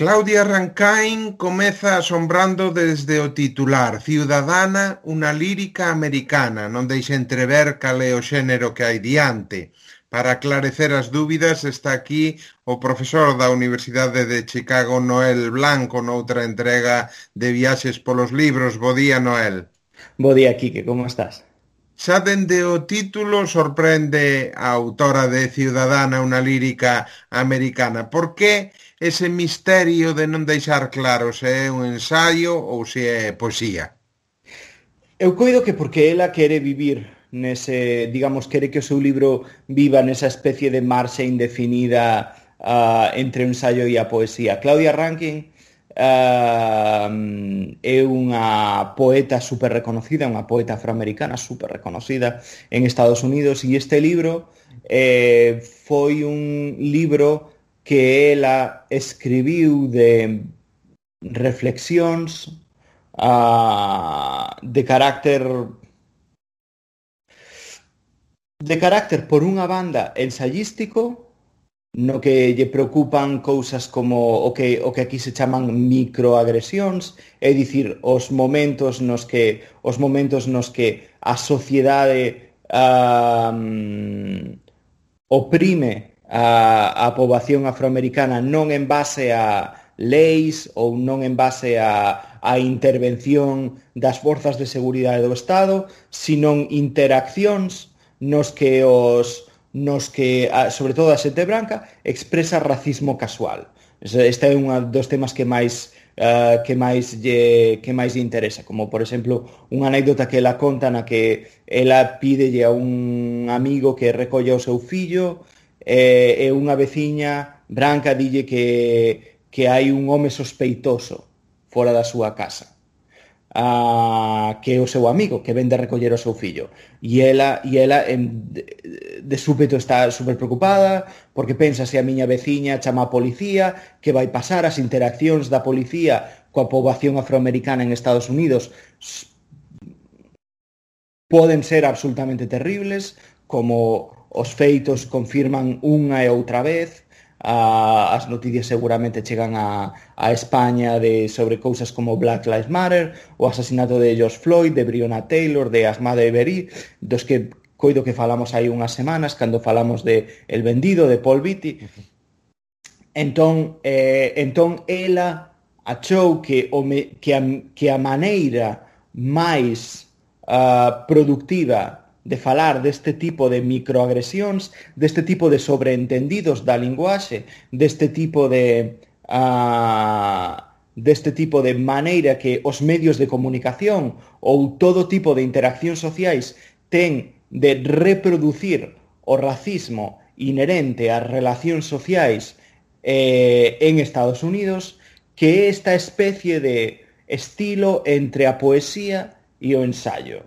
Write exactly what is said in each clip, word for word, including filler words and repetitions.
Claudia Rankine comeza asombrando desde o titular Ciudadana, unha lírica americana, non deixa entrever cal é o xénero que hai diante. Para aclarecer as dúbidas está aquí o profesor da Universidade de Chicago, Noel Blanco, noutra entrega de Viaxes polos libros. Bo día, Noel. Bo día, Quique, como estás? Xa dende o título sorprende a autora de Ciudadana, unha lírica americana. Por que ese misterio de non deixar claro se é un ensaio ou se é poesía? Eu coido que porque ela quere vivir nese, digamos, quere que o seu libro viva nesa especie de marxa indefinida uh, entre o ensaio e a poesía. Claudia Rankine uh, é unha poeta super reconocida, unha poeta afroamericana super reconocida en Estados Unidos, e este libro eh, foi un libro que ela escribiu de reflexións uh, de carácter de carácter por unha banda ensayístico, no que lle preocupan cousas como o que, o que aquí se chaman microagresións, é dicir, os momentos nos que os momentos nos que a sociedade um, oprime a, a poboación afroamericana non en base a leis ou non en base a, a intervención das forzas de seguridade do Estado, sino interaccións nos que os nos que, sobre todo a xente branca, expresa racismo casual. Este é un dos temas que máis uh, que máis lle, que máis lle interesa, como por exemplo unha anécdota que ela conta na que ela pídelle a un amigo que recolla o seu fillo e, e unha veciña branca dille que, que hai un home sospeitoso fora da súa casa. Uh, que é o seu amigo que ven de recoller o seu fillo, e ela, e ela en, de, de súpeto está super preocupada porque pensa se a miña veciña chama a policía, que vai pasar. As interaccións da policía coa poboación afroamericana en Estados Unidos poden ser absolutamente terribles, como os feitos confirman unha e outra vez. Uh, as noticias seguramente chegan a, a España de, sobre cousas como Black Lives Matter, o asasinato de George Floyd, de Breonna Taylor, de Ahmaud Arbery, dos que coido que falamos hai unhas semanas cando falamos de El Vendido, de Paul Beatty. Entón, eh, entón ela achou que, o me, que, a, que a maneira máis uh, productiva de falar deste tipo de microagresións, deste tipo de sobreentendidos da linguaxe, deste tipo de uh, deste tipo de maneira que os medios de comunicación ou todo tipo de interaccións sociais ten de reproducir o racismo inherente ás relacións sociais eh, en Estados Unidos, que é esta especie de estilo entre a poesía e o ensayo.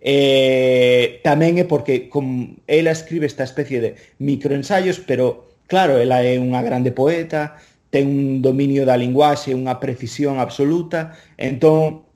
Eh, tamén é porque com, ela escribe esta especie de microensaios, pero claro, ela é unha grande poeta, ten un dominio da linguaxe, unha precisión absoluta, entón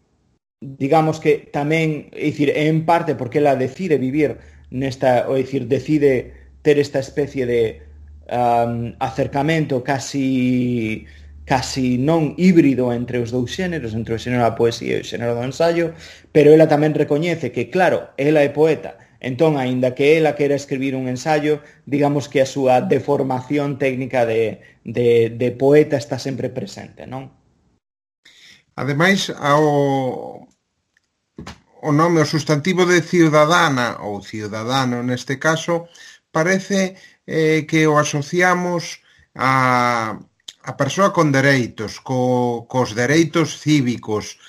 digamos que tamén, é dicir, é en parte porque ela decide vivir nesta, ou é dicir, decide ter esta especie de um, acercamento casi casi non híbrido entre os dous xéneros, entre o xénero da poesía e o xénero do ensaio, pero ela tamén recoñece que, claro, ela é poeta, entón, aínda que ela quera escribir un ensaio, digamos que a súa deformación técnica de, de, de poeta está sempre presente, non? Ademais, ao, o nome, o sustantivo de ciudadana, ou ciudadano neste caso, parece eh, que o asociamos a... a persoa con dereitos, co, cos dereitos cívicos,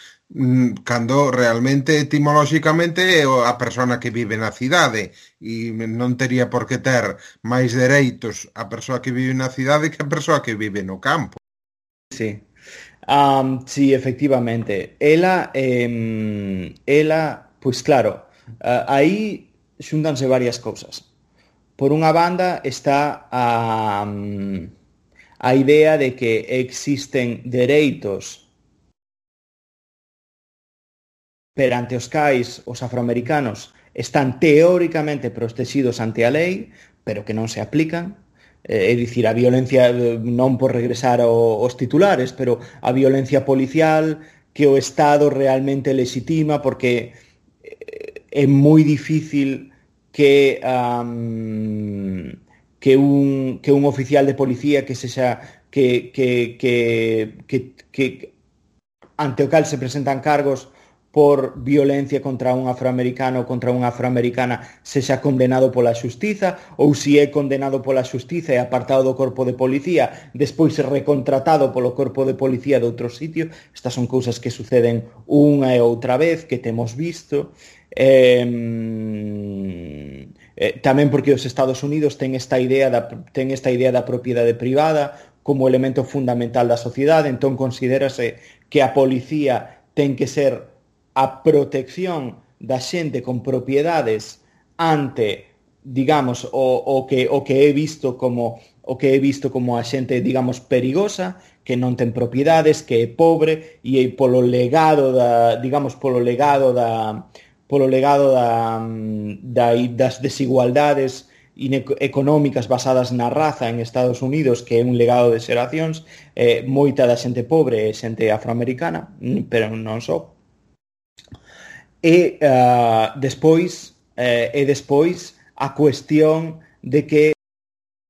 cando realmente etimolóxicamente é a persona que vive na cidade e non tería por que ter máis dereitos a persoa que vive na cidade que a persoa que vive no campo. Sí, um, sí, efectivamente. Ela, eh, ela, pois claro, uh, aí xuntanse varias cousas. Por unha banda está a... Um, a idea de que existen dereitos perante os cais os afroamericanos están teóricamente protegidos ante a lei, pero que non se aplican. é dicir, a violencia, non por regresar aos titulares, pero a violencia policial que o Estado realmente legitima, porque é moi difícil que um, que un que un oficial de policía que sexa que que que que, que ante o cal se presentan cargos por violencia contra un afroamericano ou contra unha afroamericana sexa condenado pola xustiza, ou se é condenado pola xustiza e apartado do corpo de policía, despois é recontratado polo corpo de policía de outro sitio. Estas son cousas que suceden unha e outra vez, que temos visto. Eh, eh, tamén porque os Estados Unidos ten esta idea da, ten esta idea da propiedade privada como elemento fundamental da sociedade, entón considérase que a policía ten que ser a protección da xente con propiedades ante, digamos, o, o, que, o que é visto como o que é visto como a xente, digamos, perigosa, que non ten propiedades, que é pobre, e polo legado da, digamos, polo legado da polo legado da, da das desigualdades económicas basadas na raza en Estados Unidos, que é un legado de xeracións, eh, moita da xente pobre é xente afroamericana, pero non só. E uh, despois eh, e despois a cuestión de que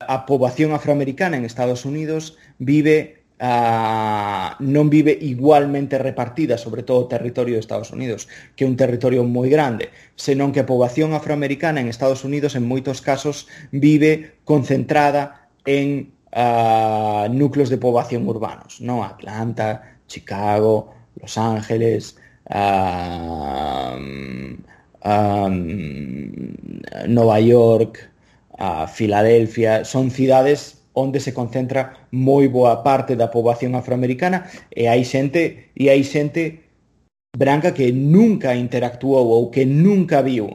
a poboación afroamericana en Estados Unidos vive uh, non vive igualmente repartida sobre todo o territorio de Estados Unidos, que é un territorio moi grande, senón que a poboación afroamericana en Estados Unidos en moitos casos vive concentrada en uh, núcleos de poboación urbanos, non? Atlanta, Chicago, Los Ángeles, Uh, um, Nova York, uh, Filadelfia, son cidades onde se concentra moi boa parte da poboación afroamericana, e hai xente e hai xente branca que nunca interactuou ou que nunca viu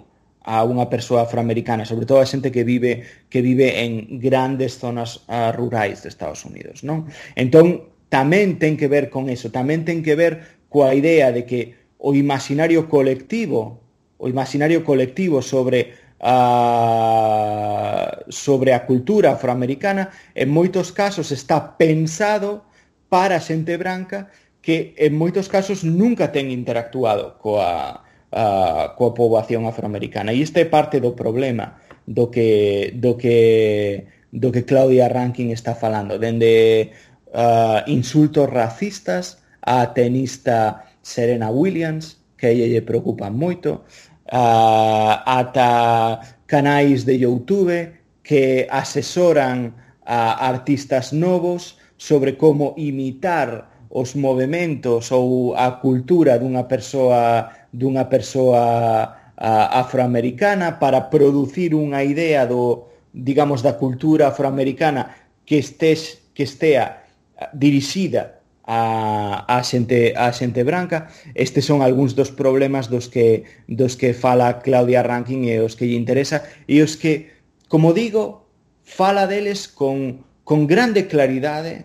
a unha persoa afroamericana, sobre todo a xente que vive que vive en grandes zonas uh, rurais de Estados Unidos, non? Entón, tamén ten que ver con eso, tamén ten que ver coa idea de que o imaginario colectivo, o imaginario colectivo sobre a, sobre a cultura afroamericana en moitos casos está pensado para a xente branca que en moitos casos nunca ten interactuado coa, a, coa poboación afroamericana. E isto é parte do problema do que do que do que Claudia Rankine está falando, dende uh, insultos racistas a tenista Serena Williams, que a ella lle preocupan moito, uh, ata canais de YouTube que asesoran a artistas novos sobre como imitar os movementos ou a cultura dunha persoa dunha persoa uh, afroamericana para producir unha idea do, digamos, da cultura afroamericana que estés que estea dirixida a, a xente a xente branca. Estes son algúns dos problemas dos que dos que fala Claudia Rankine e os que lle interesa, e os que, como digo, fala deles con con grande claridade,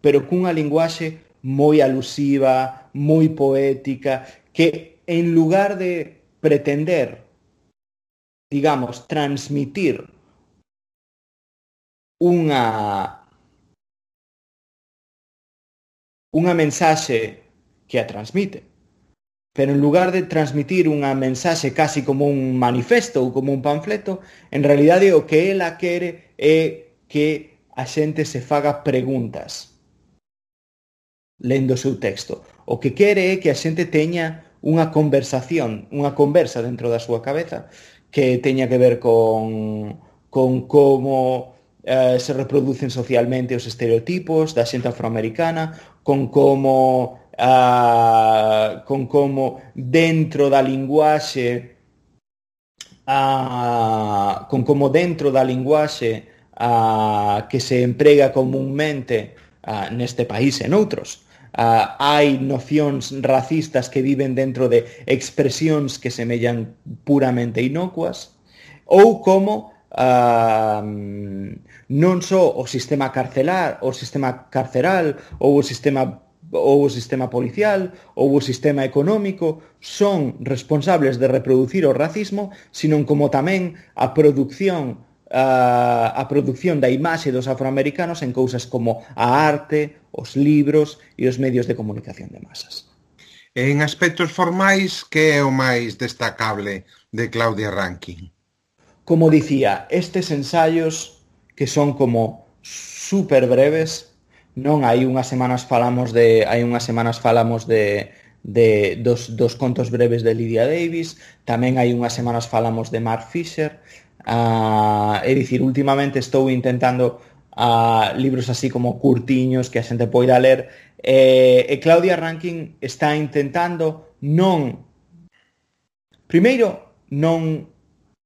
pero cunha linguaxe moi alusiva, moi poética, que en lugar de pretender, digamos, transmitir unha unha mensaxe que a transmite, pero en lugar de transmitir unha mensaxe casi como un manifesto ou como un panfleto, en realidade o que ela quere é que a xente se faga preguntas lendo o seu texto. O que quere é que a xente teña unha conversación, unha conversa dentro da súa cabeza que teña que ver con, con como eh, se reproducen socialmente os estereotipos da xente afroamericana, con como uh, con como dentro da linguaxe uh, con como dentro da linguaxe uh, que se emprega comúnmente uh, neste país e noutros uh, hai nocións racistas que viven dentro de expresións que semellan puramente inocuas, ou como Uh, non só o sistema carcelar, o sistema carceral ou o sistema ou o sistema policial ou o sistema económico son responsables de reproducir o racismo, sino como tamén a produción a, a produción da imaxe dos afroamericanos en cousas como a arte, os libros e os medios de comunicación de masas. En aspectos formais, que é o máis destacable de Claudia Rankine? Como dicía, estes ensaios que son como super breves, non hai unhas semanas falamos de hai unhas semanas falamos de de dos, dos contos breves de Lydia Davis, tamén hai unhas semanas falamos de Mark Fisher. Uh, é dicir, últimamente estou intentando uh, libros así como curtiños que a xente poida ler, e, e Claudia Rankine está intentando non primeiro non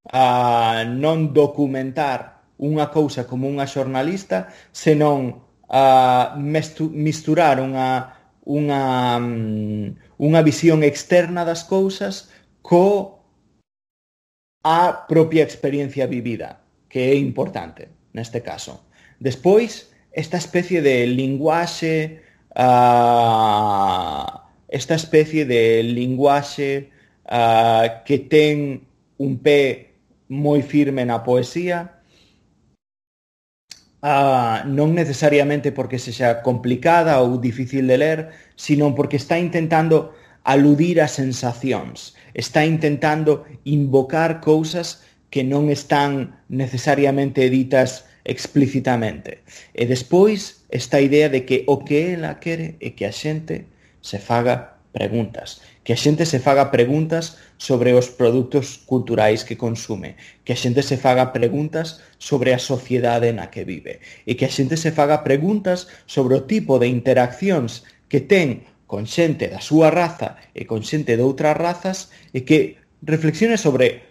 uh, non documentar unha cousa como unha xornalista, senón uh, misturar unha unha unha visión externa das cousas co a propia experiencia vivida, que é importante neste caso. Despois, esta especie de linguaxe, uh, esta especie de linguaxe uh, que ten un pé moi firme na poesía, uh, non necesariamente porque sexa complicada ou difícil de ler, sino porque está intentando aludir a sensacións, está intentando invocar cousas que non están necesariamente ditas explícitamente. E despois, esta idea de que o que ela quere é que a xente se faga preguntas, que a xente se faga preguntas sobre os produtos culturais que consume, que a xente se faga preguntas sobre a sociedade na que vive, e que a xente se faga preguntas sobre o tipo de interaccións que ten con xente da súa raza e con xente de outras razas, e que reflexione sobre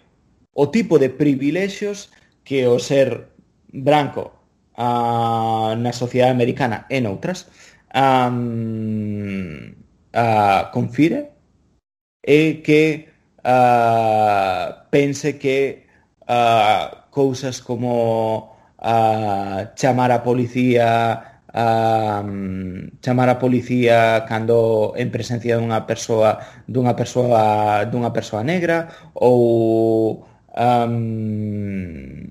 o tipo de privilexios que o ser branco uh, na sociedade americana e noutras um, uh, confire, e que uh, pense que uh, cousas como uh, chamar a policía a um, chamar a policía cando en presencia dunha persoa dunha persoa dunha persoa negra, ou um,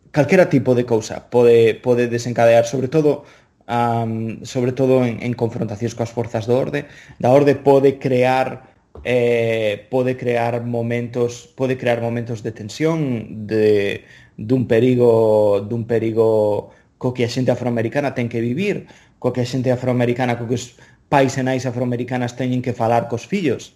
calquera tipo de cousa pode pode desencadear, sobre todo um, sobre todo en, en confrontacións coas forzas do orde, da orde pode crear eh, pode crear momentos pode crear momentos de tensión, de dun perigo dun perigo co que a xente afroamericana ten que vivir, co que a xente afroamericana, co que os pais e nais afroamericanas teñen que falar cos fillos,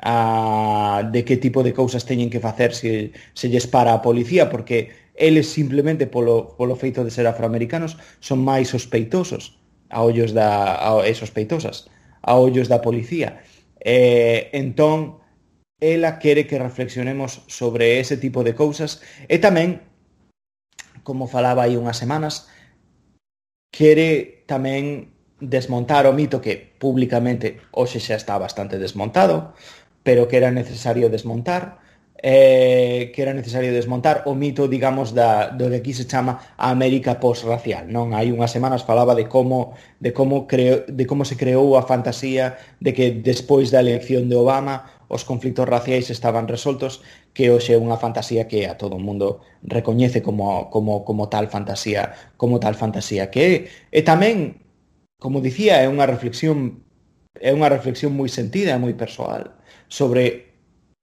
a, de que tipo de cousas teñen que facer se, se lles para a policía, porque eles simplemente polo, polo feito de ser afroamericanos son máis sospeitosos a ollos da a, e sospeitosas a ollos da policía. Eh, entón, ela quere que reflexionemos sobre ese tipo de cousas, e tamén, como falaba hai unhas semanas, quere tamén desmontar o mito que públicamente hoxe xa está bastante desmontado, pero que era necesario desmontar, eh, que era necesario desmontar o mito, digamos, da, do que aquí se chama a América post-racial, non? Hai unhas semanas falaba de como de como creo, de como se creou a fantasía de que despois da elección de Obama os conflitos raciais estaban resoltos, que hoxe é unha fantasía que a todo o mundo recoñece como, como, como tal fantasía, como tal fantasía que é. E tamén, como dicía, é unha reflexión é unha reflexión moi sentida e moi persoal sobre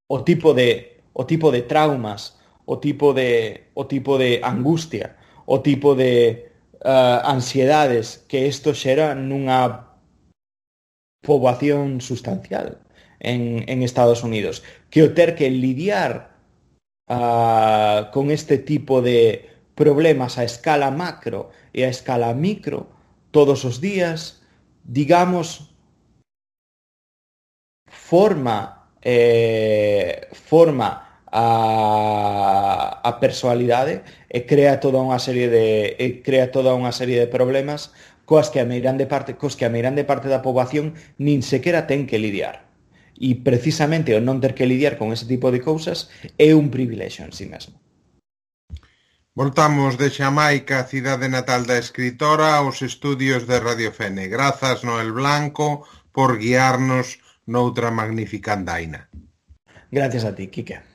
o tipo de o tipo de traumas, o tipo de o tipo de angustia, o tipo de uh, ansiedades que isto xera nunha poboación sustancial en, en Estados Unidos, que o ter que lidiar uh, con este tipo de problemas a escala macro e a escala micro todos os días, digamos, forma eh, forma a, a personalidade e crea toda unha serie de e crea toda unha serie de problemas coas que a meirande parte cos que a meirande parte da poboación nin sequera ten que lidiar. E precisamente o non ter que lidiar con ese tipo de cousas é un privilexio en sí mesmo. Voltamos de Xamaica, cidade natal da escritora, aos estudios de Radio Fene. Grazas, Noel Blanco, por guiarnos noutra magnífica andaina. Gracias a ti, Quique.